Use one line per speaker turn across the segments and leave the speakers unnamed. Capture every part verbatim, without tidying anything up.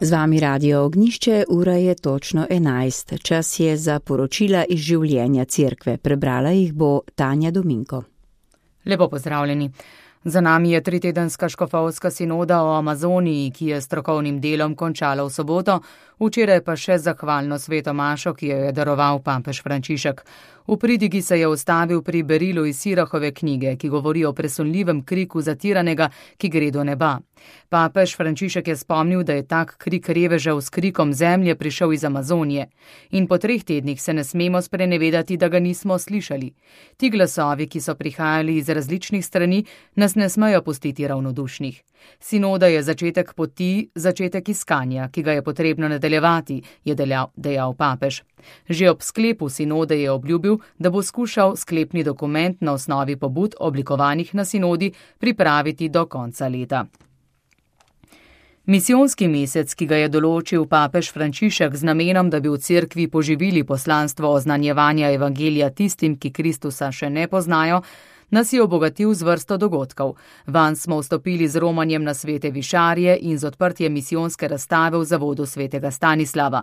Z vami Radio Ognjišče, ura je točno enajst. Čas je za poročila iz življenja cerkve. Prebrala jih bo Tanja Dominko.
Lepo pozdravljeni. Za nami je tritedenska škofovska sinoda o Amazoniji, ki je strokovnim delom končala v soboto, včeraj pa še zahvalno sveto mašo, ki jo je daroval papež Frančišek. V pridigi se je ustavil pri berilu iz Sirahove knjige, ki govori o presunljivem kriku zatiranega, ki gre do neba. Papež Frančišek je spomnil, da je tak krik revežev s krikom zemlje prišel iz Amazonije. In po treh tednih se ne smemo sprenevedati, da ga nismo slišali. Ti glasovi, ki so prihajali iz različnih strani, nas ne smejo pustiti ravnodušnih. Sinoda je začetek poti, začetek iskanja, ki ga je potrebno nadaljevati, je dejal, dejal papež. Že ob sklepu sinode je obljubil, da bo skušal sklepni dokument na osnovi pobud oblikovanih na sinodi pripraviti do konca leta. Misijonski mesec, ki ga je določil papež Frančišek z namenom, da bi v cerkvi poživili poslanstvo oznanjevanja evangelija tistim, ki Kristusa še ne poznajo, nas je obogatil z vrsto dogodkov. Vanj smo vstopili z romanjem na svete višarje in z odprtjem misijonske razstave v zavodu svetega Stanislava.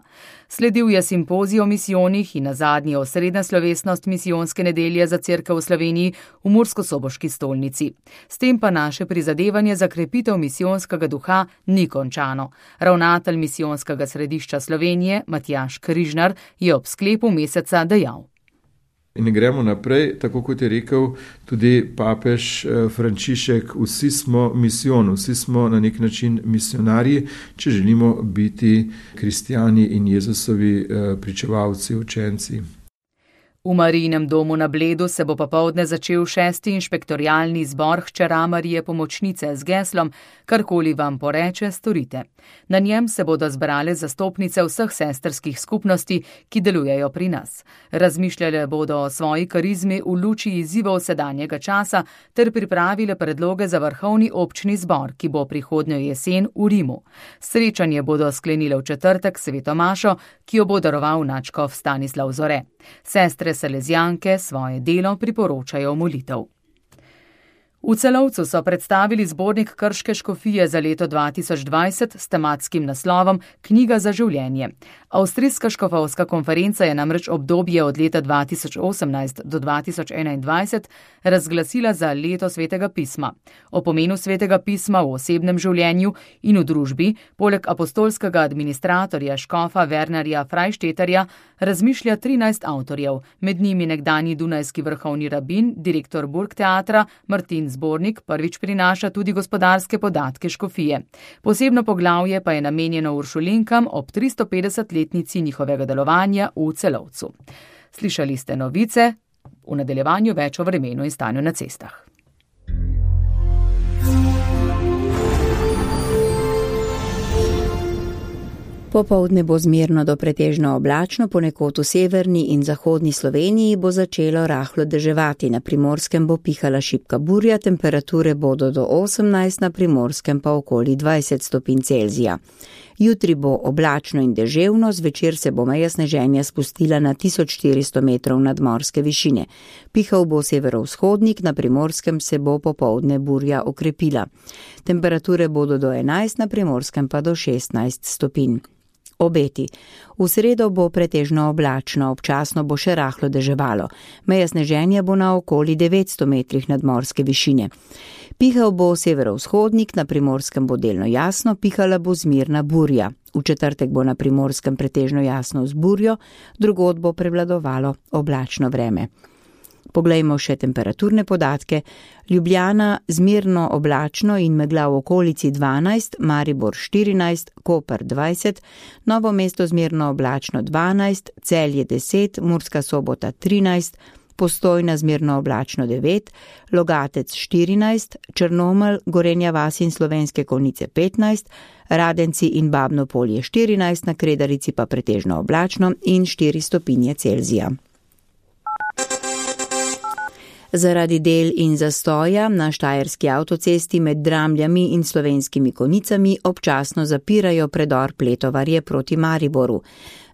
Sledil je simpozij o misijonih in nazadnje osrednja slovesnost misijonske nedelje za cerkev v Sloveniji v Murskosoboški stolnici. S tem pa naše prizadevanje za krepitev misijonskega duha ni končano. Ravnatelj misijonskega središča Slovenije, Matjaž Križnar, je ob sklepu meseca dejal.
In gremo naprej, tako kot je rekel tudi papež Frančišek, vsi smo misijon, vsi smo na nek način misionarji, če želimo biti kristjani in Jezusovi pričevalci, učenci.
V Marijinem domu na Bledu se bo popoldne začel šesti inšpektorialni zbor hčera Marije Pomočnice z geslom Karkoli vam poreče, storite. Na njem se bodo zbrale zastopnice vseh sestrskih skupnosti, ki delujejo pri nas. Razmišljale bodo o svoji karizmi v luči izzivov sedanjega časa ter pripravile predloge za vrhovni občni zbor, ki bo prihodnjo jesen v Rimu. Srečanje bodo sklenile v četrtek sveto mašo, ki jo bo daroval nadškof Stanislav Zore. Sestre Salezijanke svoje delo priporočajo molitev. V Celovcu so predstavili zbornik Krške škofije za leto dva tisoč dvajset s tematskim naslovom Knjiga za življenje. Avstrijska škofovska konferenca je namreč obdobje od leta dva tisoč osemnajst do dva tisoč enaindvajset razglasila za leto svetega pisma. O pomenu svetega pisma v osebnem življenju in v družbi, poleg apostolskega administratorja škofa Wernerja Freisteterja, razmišlja trinajst avtorjev, med njimi nekdanji dunajski vrhovni rabin, direktor Burgteatra Martin Zbornik prvič prinaša tudi gospodarske podatke škofije. Posebno poglavje pa je namenjeno uršulinkam ob tristopetdesetletnici njihovega delovanja v Celovcu. Slišali ste novice, v nadaljevanju več o vremenu in stanju na cestah.
Popoldne bo zmerno do pretežno oblačno, ponekod v severni in zahodni Sloveniji bo začelo rahlo deževati, na Primorskem bo pihala šibka burja, temperature bodo do osemnajst, na Primorskem pa okoli dvajset stopinj Celzija. Jutri bo oblačno in deževno, zvečer se bo meja sneženja spustila na tisoč štiristo metrov nadmorske višine. Pihal bo severovzhodnik, na Primorskem se bo popoldne burja okrepila. Temperature bodo do enajst, na Primorskem pa do šestnajst stopinj. Obeti. V sredo bo pretežno oblačno, občasno bo še rahlo deževalo. Meja sneženja bo na okoli devetsto metrih nadmorske višine. Pihal bo severovzhodnik, na Primorskem bo delno jasno, pihala bo zmirna burja. V četrtek bo na Primorskem pretežno jasno z burjo, drugod bo prevladovalo oblačno vreme. Poglejmo še temperaturne podatke. Ljubljana zmerno oblačno in megla v okolici dvanajst, Maribor štirinajst, Koper dvajset, Novo mesto zmerno oblačno dvanajst, Celje deset, Murska Sobota trinajst, Postojna zmerno oblačno devet, Logatec štirinajst, Črnomelj, Gorenja vas in Slovenske Konjice petnajst, Radenci in Babno Polje štirinajst, na Kredarici pa pretežno oblačno in štiri stopinje Celzija. Zaradi del in zastoja na štajerski avtocesti med Dramljami in Slovenskimi Konjicami občasno zapirajo predor Pletovarje proti Mariboru.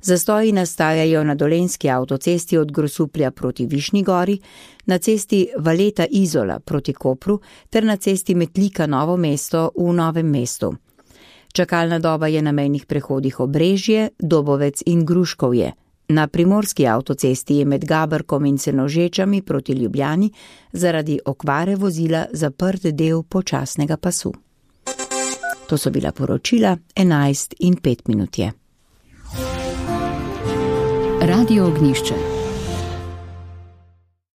Zastoji nastajajo na dolenjski avtocesti od Grosuplja proti Višnji Gori, na cesti Valeta Izola proti Kopru ter na cesti Metlika Novo mesto v Novem mestu. Čakalna doba je na mejnih prehodih Obrežje, Dobovec in Gruškovje. Na primorski avtocesti je med Gaberkom in Senožečami proti Ljubljani zaradi okvare vozila zaprt del počasnega pasu. To so bila poročila, enajst in pet minut je.
Radio Ognjišče.